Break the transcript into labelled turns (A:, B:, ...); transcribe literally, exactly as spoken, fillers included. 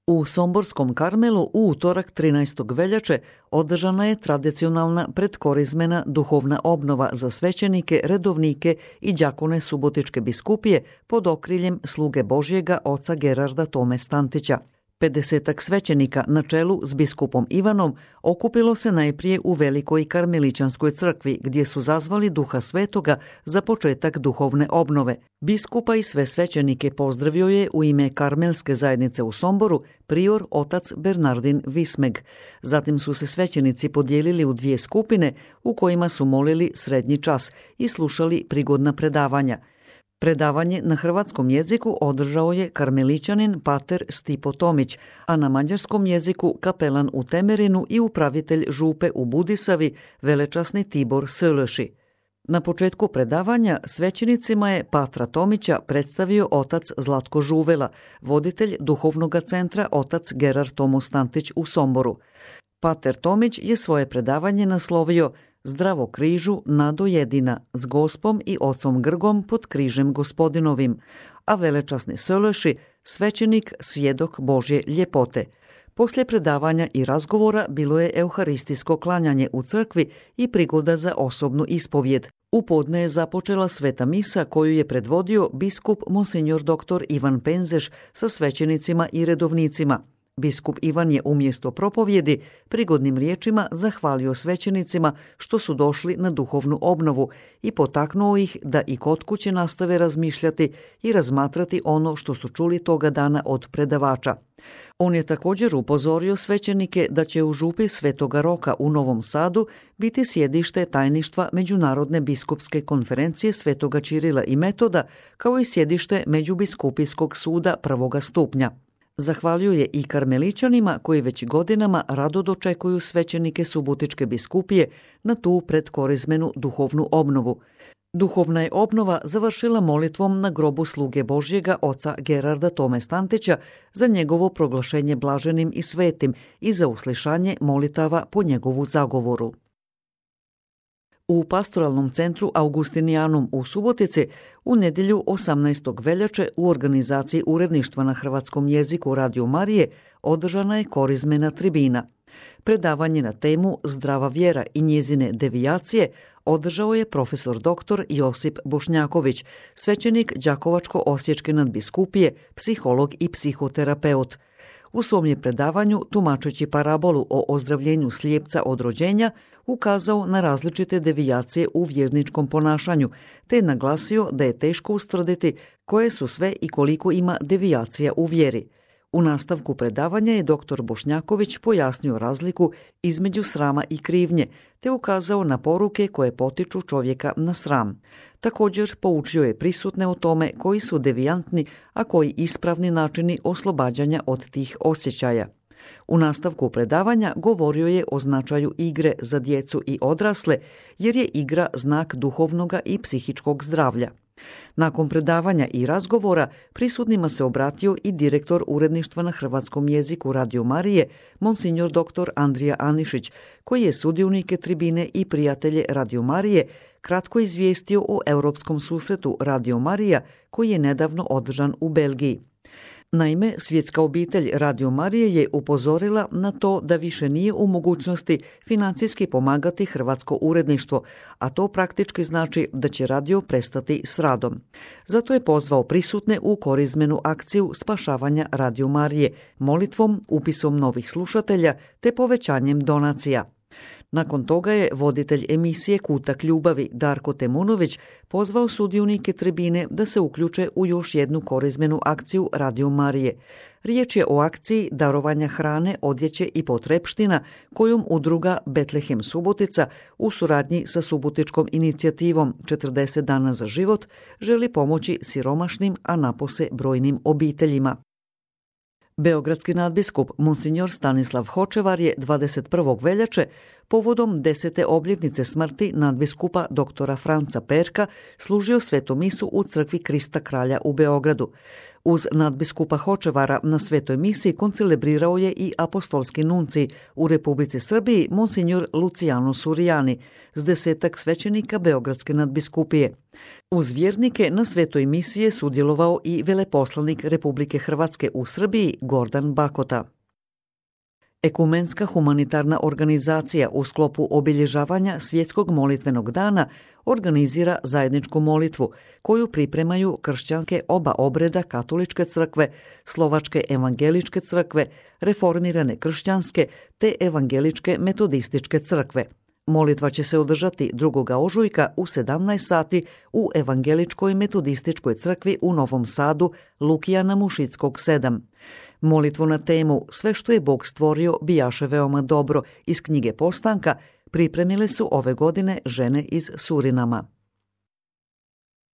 A: U Somborskom Karmelu u utorak trinaestog veljače održana je tradicionalna predkorizmena duhovna obnova za svećenike, redovnike i đakone Subotičke biskupije pod okriljem sluge Božjega oca Gerarda Tome Stantića. Pedesetak svećenika na čelu s biskupom Ivanom okupilo se najprije u Velikoj Karmeličanskoj crkvi gdje su zazvali Duha Svetoga za početak duhovne obnove. Biskupa i sve svećenike pozdravio je u ime Karmelske zajednice u Somboru prior otac Bernardin Vismeg. Zatim su se svećenici podijelili u dvije skupine u kojima su molili srednji čas i slušali prigodna predavanja. Predavanje na hrvatskom jeziku održao je karmeličanin pater Stipo Tomić, a na mađarskom jeziku kapelan u Temerinu i upravitelj župe u Budisavi, velečasni Tibor Sölöši. Na početku predavanja svećenicima je patra Tomića predstavio otac Zlatko Žuvela, voditelj duhovnog centra otac Gerard Tomo Stantić u Somboru. Pater Tomić je svoje predavanje naslovio Zdravo križu, nado jedina, s gospom i ocom Grgom pod križem gospodinovim, a velečasni Sölöši, svećenik, svjedok Božje ljepote. Poslije predavanja i razgovora bilo je euharistijsko klanjanje u crkvi i prigoda za osobnu ispovjed. U podne je započela sveta misa koju je predvodio biskup monsignor dr. Ivan Penzeš sa svećenicima i redovnicima. Biskup Ivan je umjesto propovjedi prigodnim riječima zahvalio svećenicima što su došli na duhovnu obnovu i potaknuo ih da i kod kuće nastave razmišljati i razmatrati ono što su čuli toga dana od predavača. On je također upozorio svećenike da će u župi Svetoga Roka u Novom Sadu biti sjedište tajništva Međunarodne biskupske konferencije Svetoga Čirila i Metoda, kao i sjedište Međubiskupijskog suda prvoga stupnja. Zahvalio je i karmeličanima koji već godinama rado dočekuju svećenike Subotičke biskupije na tu predkorizmenu duhovnu obnovu. Duhovna je obnova završila molitvom na grobu sluge Božjega oca Gerarda Tome Stantića za njegovo proglašenje blaženim i svetim i za uslišanje molitava po njegovu zagovoru. U pastoralnom centru Augustinijanum u Subotici u nedjelju osamnaestog veljače u organizaciji uredništva na hrvatskom jeziku Radio Marije održana je korizmena tribina. Predavanje na temu Zdrava vjera i njezine devijacije održao je profesor doktor Josip Bošnjaković, svećenik Đakovačko-osječke nadbiskupije, psiholog i psihoterapeut. U svom je predavanju, tumačeći parabolu o ozdravljenju slijepca od rođenja, ukazao na različite devijacije u vjerničkom ponašanju, te je naglasio da je teško ustvrditi koje su sve i koliko ima devijacija u vjeri. U nastavku predavanja je doktor Bošnjaković pojasnio razliku između srama i krivnje, te ukazao na poruke koje potiču čovjeka na sram. Također poučio je prisutne o tome koji su devijantni, a koji ispravni načini oslobađanja od tih osjećaja. U nastavku predavanja govorio je o značaju igre za djecu i odrasle, jer je igra znak duhovnoga i psihičkog zdravlja. Nakon predavanja i razgovora prisutnima se obratio i direktor uredništva na hrvatskom jeziku Radio Marije, monsignor dr. Andrija Anišić, koji je sudionike tribine i prijatelje Radio Marije kratko izvijestio o europskom susretu Radio Marija koji je nedavno održan u Belgiji. Naime, svjetska obitelj Radio Marije je upozorila na to da više nije u mogućnosti financijski pomagati hrvatsko uredništvo, a to praktički znači da će radio prestati s radom. Zato je pozvao prisutne u korizmenu akciju spašavanja Radio Marije, molitvom, upisom novih slušatelja te povećanjem donacija. Nakon toga je voditelj emisije Kutak ljubavi Darko Temunović pozvao sudionike tribine da se uključe u još jednu korizmenu akciju Radio Marije. Riječ je o akciji darovanja hrane, odjeće i potrepština kojom udruga Betlehem Subotica u suradnji sa subotičkom inicijativom četrdeset dana za život želi pomoći siromašnim, a napose brojnim obiteljima. Beogradski nadbiskup monsignor Stanislav Hočevar je dvadeset prvog veljače povodom desete obljetnice smrti nadbiskupa doktora Franca Perka služio svetu misu u crkvi Krista Kralja u Beogradu. Uz nadbiskupa Hočevara na svetoj misi koncelebrirao je i apostolski nuncij u Republici Srbiji monsignor Luciano Surijani s desetak svećenika Beogradske nadbiskupije. Uz vjernike na svetoj misiji je sudjelovao i veleposlanik Republike Hrvatske u Srbiji Gordan Bakota. Ekumenska humanitarna organizacija u sklopu obilježavanja Svjetskog molitvenog dana organizira zajedničku molitvu koju pripremaju kršćanske oba obreda Katoličke crkve, Slovačke evangeličke crkve, Reformirane kršćanske te Evangeličke metodističke crkve. Molitva će se održati drugog ožujka u sedamnaest sati u Evangeličkoj metodističkoj crkvi u Novom Sadu, Lukijana Mušickog sedam. Molitvu na temu Sve što je Bog stvorio bijaše veoma dobro iz knjige Postanka pripremile su ove godine žene iz Surinama.